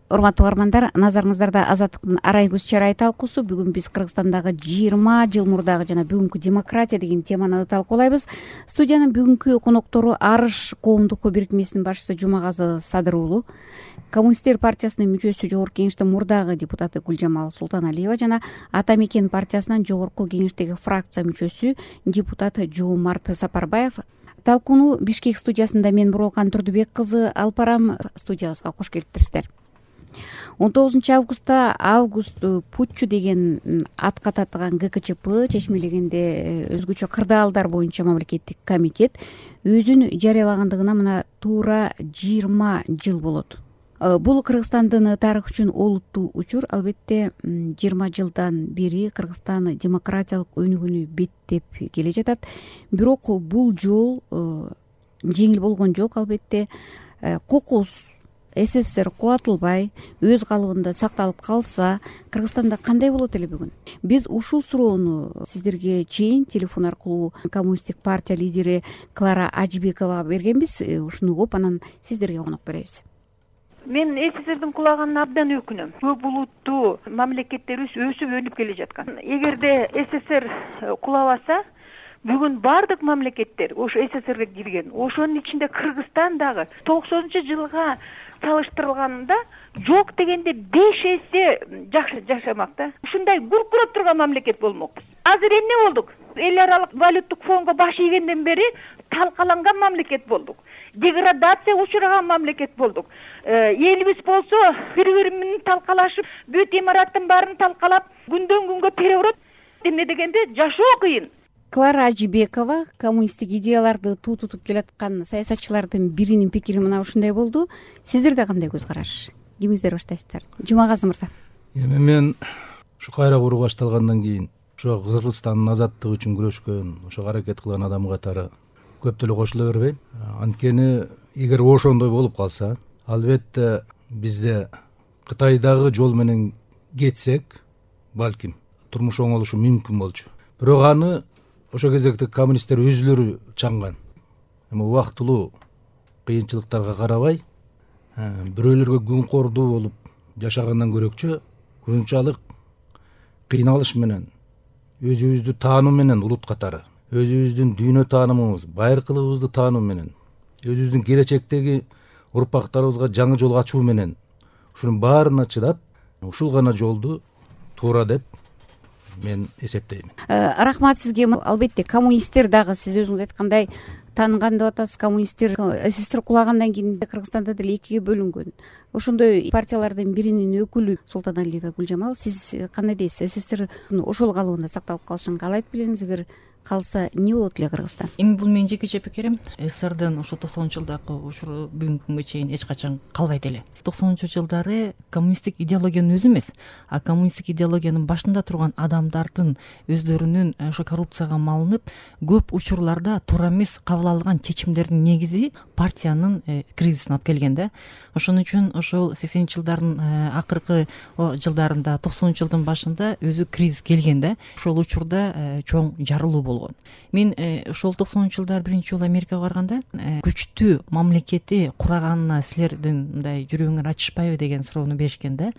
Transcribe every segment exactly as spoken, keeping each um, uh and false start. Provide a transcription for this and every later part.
урматтуу угармандар, назарыңыздарда Азаттыктын арай көз чарай талкуусу. Бүгүн биз Кыргызстандагы жыйырма жыл мурдагы жана бүгүнкү демократия деген теманы талкуулайбыз. Студиянын бүгүнкү коноктору Арыш коомдук бирикмесинин башчысы Жумагазы Садыр уулу, Коммунисттер партиясынын мүчөсү, Жогорку кеңештин мурдагы депутаты Гүлжамал Султаналиева жана Ата Мекен партиясынын Жогорку кеңештеги фракция мүчөсү, депутат Жоомарт Сапарбаев. Талкууну Бишкек студиясында мен Бурулкан Турдубек кызы алып барам. Студиябызга кош келиптирсиздер. он тогузунчу августта август путчу деген атка татыган гэ ка че пэ чечмелегенде өзгөчө кырдаалдар боюнча мамлекеттик комитет өзүн жарыялагандыгына мына туура жыйырма жыл болот. Бул Кыргызстандын тарыхы үчүн олуттуу учур. Албетте жыйырма жылдан бери Кыргызстан демократиялык өнүгүүнү беттеп келе жатат. Бирок бул жол жеңил болгон жок. Албетте кокус эс эс эс эр кубатылбай, өз калыбында сакталып калса, Кыргызстанда кандай болот эле бүгүн? Биз ушул суроону сиздерге чейин телефон аркылуу Коммунисттик партия лидери Клара Ажибековага бергенбиз. Ушуну угуп, анан сиздерге конок беребиз. Мен эс эс эс эрдин кулаганына абдан өкүнөм. Көп улуттуу мамлекеттерибиз өсүп өнүп келе жаткан. Эгерде эс эс эс эр кулабаса, бүгүн бардык мамлекеттер ошо эс эс эс эрге кирген. Ошонун ичинде Кыргызстан дагы тогузунчу жылга салыштырылганда жок дегенде беш эсе жакшы жашамак да. Ушундай гүркүрөп турган мамлекет болмокпуз. Азыр эмне болдук? Эл аралык валюттук фондго баш ийгенден бери талкаланган мамлекет болдук. Деградация учураган мамлекет болдук. Элибиз болсо бири-бири менен талкалашып, бүт имараттын баарын талкалап, күндөн күнгө переворот. Эмне дегенде жашоо кыйын. Клара Ажибекова, коммунисттик идеяларды туу тутуп келаткан саясатчылардын биринин пикири мына ушундай болду. Сиздерде кандай көз караш? Кимиңиздер баштайсыздар? Жумагазы мырза. Эми мен ушу кайра куруу башталгандан кийин ошо Кыргызстандын азаттыгы үчүн күрөшкөн, ошо аракет кылган адам катары көп деле кошула бербейм. Анткени эгер ошондой болуп калса, албетте бизде Кытайдагы жол менен кетсек, балким турмуш оңолушу мүмкүн болчу. Бирок аны ошо кезекте коммунисттер өзүлөрү чаңган. Эми убактылуу кыйынчылыктарга карабай, бирөөлөргө күн кордуу болуп жашагандан көрөкчө, ушунчалык кыйналыш менен, өзүбүздү таануу менен улут катары, өзүбүздүн дүйнө таанымыбыз, байыркылыгыбызды таануу менен, өзүбүздүн келечектеги урпактарыбызга жаңы жол ачуу менен, ушунун баарына чыдап, ушул гана жолду туура деп мен эсептейм. Рахмат сизге. Албетте коммунисттер дагы сиз өзүңүз айткандай таанган деп атасыз. Коммунисттер эс эс эс эр кулагандан кийин Кыргызстанда деле экиге бөлүнгөн. Ошондой партиялардын биринин өкүлү Султаналиева Гүлжамал, сиз кандай дейсиз? эс эс эс эр ошол калыбында сакталып калышын каалайт белеңиз? Эгер калса эмне болот эле Кыргызстан? Эми бул менин жекече пикирим. эс эс эс эрдин ошо токсонунчу жылдагы учуру бүгүнкү күнгө чейин эч качан калбайт эле. токсонунчу жылдары коммунисттик идеологиянын өзү эмес, а коммунисттик идеологиянын башында турган адамдардын өздөрүнүн ошо коррупцияга малынып, көп учурларда туура эмес кабыл алган чечимдердин негизи партиянын кризисине алып келген да. Ошон үчүн ошол сексенинчи жылдардын акыркы жылдарында, токсонунчу жылдын башында өзү кризис келген да. Ошол учурда чоң жарылуу болгон. Мен ошол токсонунчу жылдары биринчи жолу Америкага барганда күчтүү мамлекети кураганына силердин мындай жүрөгүңөр ачышпайбы деген суроону беришкен да.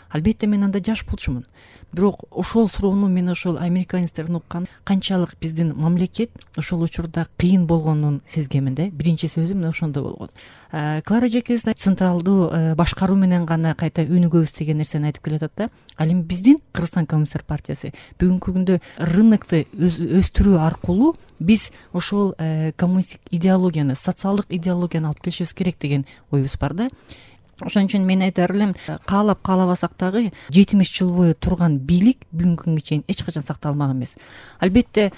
Албетте мен анда жаш болчумун. Бирок ошол суроону мен ошол американецтерден уккан канчалык биздин мамлекет ошол учурда кыйын болгонун сезгемин да. Биринчи сөзү мына ошондо болгон. Клара Жекебиз централдуу башкаруу менен гана кайта өнүгөбүз деген нерсени айтып келатат да. Ал эми биздин Кыргызстан Коммунисттер партиясы бүгүнкү күндө рынокты өстүрүү аркылуу биз ошол коммунисттик идеологияны, социалдык идеологияны алып келишибиз керек деген оюбуз бар да. Ошон үчүн мен айтар элем, каалап каалабасак дагы жетимиш жыл бою турган бийлик бүгүнкү күнгө чейин эч качан сакталмаган эмес. Албетте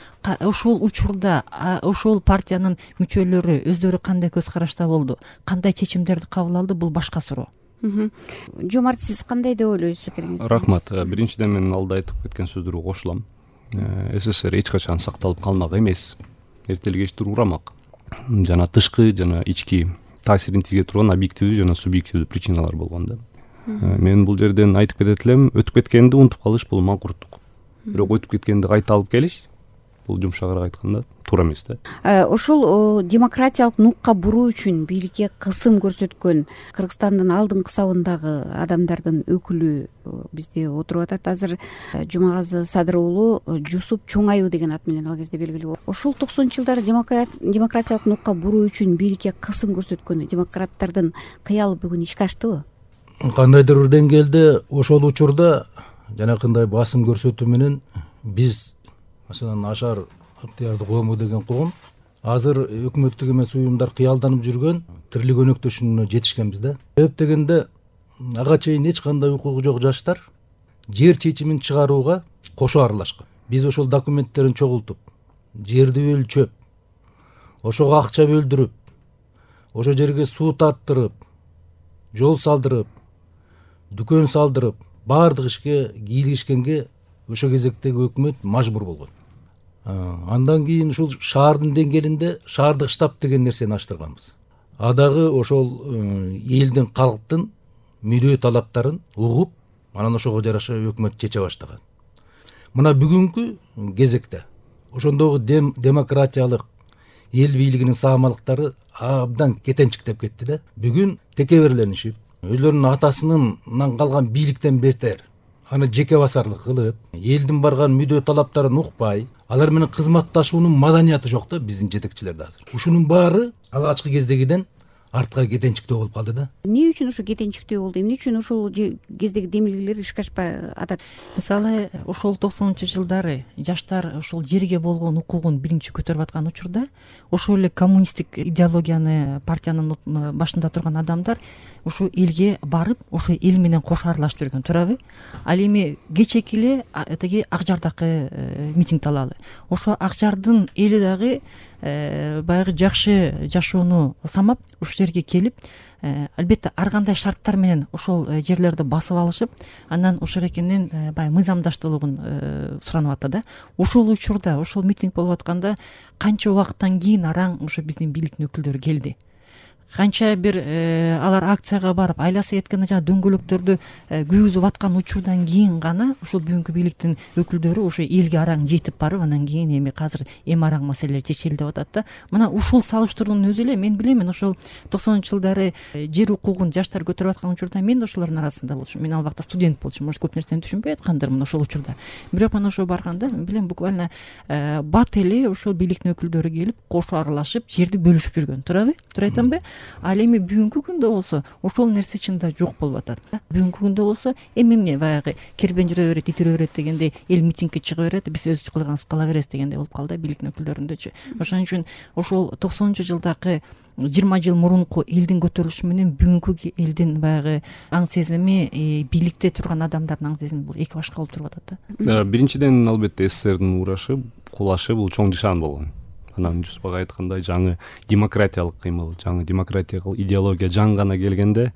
ошол учурда ошол партиянын мүчөлөрү өздөрү кандай көз карашта болду, кандай чечимдерди кабыл алды, бул башка суроо. Жомарт, сиз кандай деп ойлойсуз пикириңиз? Рахмат. Биринчиден мен алда айтып кеткен сөздөргө кошулам. эс эс эс эр эч качан сакталып калмак эмес. Эртең кечтир урамак. Жана тышкы жана ички таасирин тийге турган объективдүү жана субъективдүү причиналар болгон да. Мен бул жерден айтып кетет элем, өтүп кеткенди унутуп калыш бул маңкурттук. Бирок өтүп кеткенди кайта алып келиш бул жумшагыраак айтканда туура эмес да. Ошол демократиялык нукка буруу үчүн бийликке кысым көрсөткөн Кыргызстандын алдыңкы сабындагы адамдардын өкүлү бизде отуруп атат азыр. Жумагазы Садыр уулу Жусуп Чоңаюу деген ат менен ал кезде белгилүү. Ошол токсонунчу жылдары демократиялык нукка буруу үчүн бийликке кысым көрсөткөн демократтардын кыялы бүгүн ишке аштыбы? Кандайдыр бир деңгээлде ошол учурда жанакындай басым көрсөтүү менен биз маселен Ашар ыктыярдуу коому деген когум азыр өкмөттүк эмес уюмдар кыялданып жүргөн тирлик өнөктөшүнө жетишкенбиз да. Себеп дегенде ага чейин эч кандай укугу жок жаштар жер чечимин чыгарууга кошо аралашкан. Биз ошол документтерин чогултуп, жерди өлчөп, ошого акча бөлдүрүп, ошол жерге суу тарттырып, жол салдырып, дүкөн салдырып, баардык ишке кийлигишкенге ошол кезектеги өкмөт мажбур болгон. Андан кийин ушул шаардын деңгээлинде шаардык штаб деген нерсени аштырганбыз. Адагы ошол элдин, калктын мүдөө талаптарын угуп, анан ошого жараша өкмөт чече баштаган. Мына бүгүнкү кезекте ошондогу дем, демократиялык эл бийлигинин саамалыктары абдан кетенчиктеп кетти да. Бүгүн текеберленишип, өзлөрүнүн атасынан калган бийликтен бетер аны жеке басарлык кылып, элдин барган мүдөө талаптарын укпай, алар менен кызматташуунун маданияты жок да биздин жетекчилерде азыр. Ушунун баары алгачкы кездегиден артка кетенчиктөө болуп калды да. Эмне үчүн ошо кетенчиктөө болду? Эмне үчүн ошол кездеги демилгелер ишке ашпай атат? Мисалы, ошол токсонунчу жылдары жаштар ошол жерге болгон укугун биринчи көтөрүп аткан учурда ошол эле коммунисттик идеологияны партиянын башында турган адамдар ошо элге барып, ошо эл менен кошо аралашып жүргөн, туурабы? Ал эми кечеки эле тиги Ак Жардагы митингди алалы. Ошо Ак Жардын эли дагы баягы жакшы жашоону самап ушул жерге келип, албетте ар кандай шарттар менен ошол жерлерди басып алышып, анан ошол экенин баягы мыйзамдаштуулугун суранып атты да. Ошол учурда, ошол митинг болуп атканда канча убакыттан кийин араң ошо биздин бийликтин өкүлдөрү келди. Канча бир алар акцияга барып, айла саетканы жана дөңгөлөктөрдү күйгүзүп аткан учурдан кийин гана ошол бүгүнкү бийликтин өкүлдөрү ошо элге араң жетип барып, анан кийин эми азыр эми араң маселелер чечилди деп атат да. Мына ушул салыштыруунун өзү эле мен билем, мен ошол токсонунчу жылдары жер укугун жаштар көтөрүп аткан учурда мен да ошолордун арасында болчумун. Мен ал убакта студент болчумун, может көп нерсени түшүнбөй аткандырмын ошол учурда. Бирок мен ошо барганда мен билем, буквально бат эле ошол бийликтин өкүлдөрү келип, кошо аралашып, жерди бөлүшүп жүргөн, туурабы? Туура айтамбы? Ал эми бүгүнкү күндө болсо ошол нерсе чында жок болуп атат. Бүгүнкү күндө болсо эми эмне баягы кербен жүрө берет, ит үрө берет дегендей, эл митингке чыга берет, биз өз кылганыбызды кыла беребиз дегендей болуп калды бийликтин өкүлдөрүндөчү. Ошон үчүн ошол токсонунчу жылдагы жыйырма жыл мурунку элдин көтөрүлүшү менен бүгүнкү элдин баягы аң сезими, бийликте турган адамдардын аң сезими бул эки башка болуп туруп атат да. Биринчиден, албетте СССРдин урашы, кулашы бул чоң нишан болгон. Анан Жусуп ага айткандай, жаңы демократиялык кыймыл, жаңы демократиялык идеология жаңгана келгенде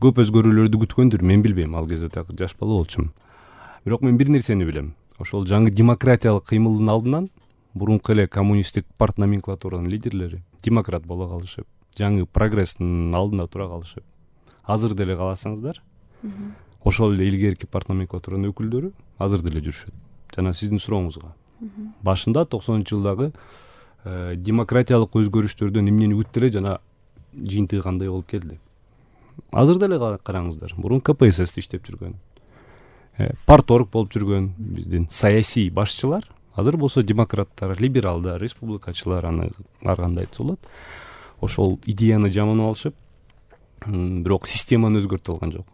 көп өзгөрүүлөрдү күткөндүр, мен билбейм, ал кезде так жаш бала болчумун. Бирок мен бир нерсени билем. Ошол жаңы демократиялык кыймылдын алдынан мурунку эле коммунисттик парт номенклатуранын лидерлери демократ боло калышып, жаңы прогресстин алдында тура калышып, азыр деле кааласаңыздар, ошол эле илгерки парт номенклатуранын өкүлдөрү азыр деле жүрүшөт. Жана сиздин сурооңузга, башында токсонунчу жылдагы демократиялык өзгөрүштөрдөн эмнени күттү эле жана жыйынтыгы кандай болуп келди. Азыр деле караңыздар, мурун КПСС иштеп жүргөн, парторг болуп жүргөн биздин саясий башчылар азыр болсо демократтар, либералдар, республикачылар, аны ар кандай айтса болот. Ошол идеяны жаманап алышып, бирок системаны өзгөртө алган жок.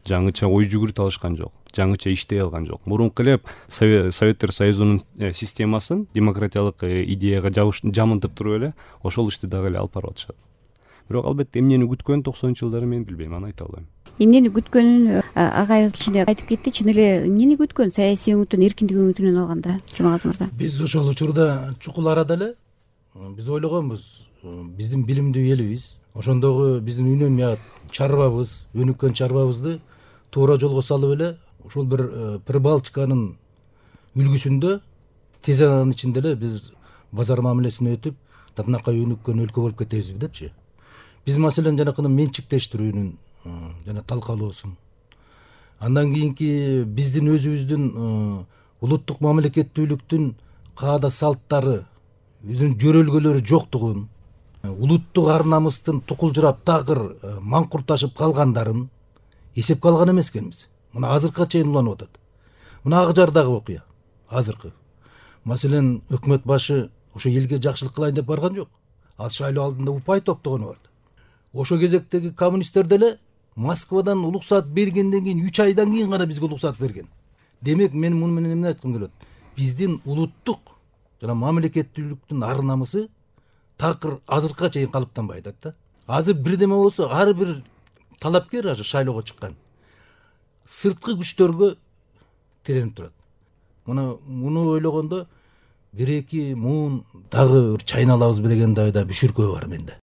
Жаңыча ой жүгүртө алышкан жок, жаңыча иштей алган жок. Мурунку эле Советтер Союзунун системасын демократиялык идеяга жамынтып туруп эле ошол ишти дагы эле алып барып атышат. Бирок албетте эмнени күткөн токсонунчу жылдары мен билбейм, аны айта албайм. Эмнени күткөнүн агайыбыз кичине айтып кетти. Чын эле эмнени күткөн саясий өңүтүн, эркиндик өңүтүнөн алганда, Жумагазы мырза? Биз ошол учурда чукул арада эле биз ойлогонбуз, биздин билимдүү элибиз, ошондогу биздин үнөмят чарбабыз, өнүккөн чарбабызды туура жолго салып эле ушул бир Прибалтиканын үлгүсүндө тез аранын ичинде эле биз базар мамилесине өтүп, татынакай өнүккөн өлкө болуп кетебиз депчи. Биз маселен жанакы менчиктештирүүнүн жана талкалоосун, андан кийинки биздин өзүбүздүн улуттук мамлекеттүүлүктүн каада салттары, өзүнүн жөрөлгөлөрү жоктугун, улуттук ар намыстын тукулжурап такыр маңкурташып калгандарын эсепке алган эмес экенбиз. Мына азыркыга чейин уланып атат. Мына Ак Жардагы окуя азыркы. Маселен, өкмөт башы ошо элге жакшылык кылайын деп барган жок. Ал шайлоо алдында упай топтогону бар. Ошо кезектеги коммунисттер деле Москвадан уруксаат бергенден кийин үч айдан кийин гана бизге уруксаат берген. Демек, мен муну менен эмне айткым келет? Биздин улуттук жана мамлекеттүүлүктүн ар намысы такыр азыркыга чейин калыптанбай атат да. Азыр бирдеме болсо, ар бир талапкер азыр шайлоого чыккан сырткы күчтөргө тиренип турат. Мына муну ойлогондо бир эки муун дагы бир чайналабызбы деген да бүшүркөө бар менде.